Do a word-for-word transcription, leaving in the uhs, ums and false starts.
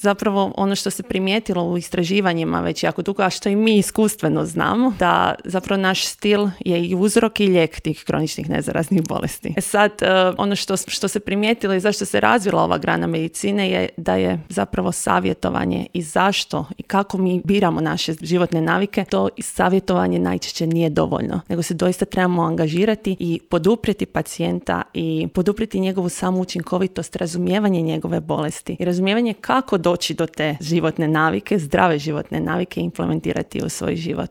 zapravo ono što se primijetilo u istraživanjima već jako dugo, a što i mi iskustveno znamo, da zapravo naš stil je i uzrok i lijek tih kroničnih nezaraznih bolesti. E sad, ono što, što se primijetilo i zašto se razvila ova grana medicine je da je zapravo savjetovanje i zašto i kako mi biramo naše životne navike, to savjetovanje najčešće nije dovoljno, nego se doista trebamo angažirati i poduprijeti pacijenta i poduprijeti njegovu samoučinkovitost, razumijevanje njegove bolesti i razumijevanje kako doći do te životne navike, zdrave životne navike i implementirati u svoj život.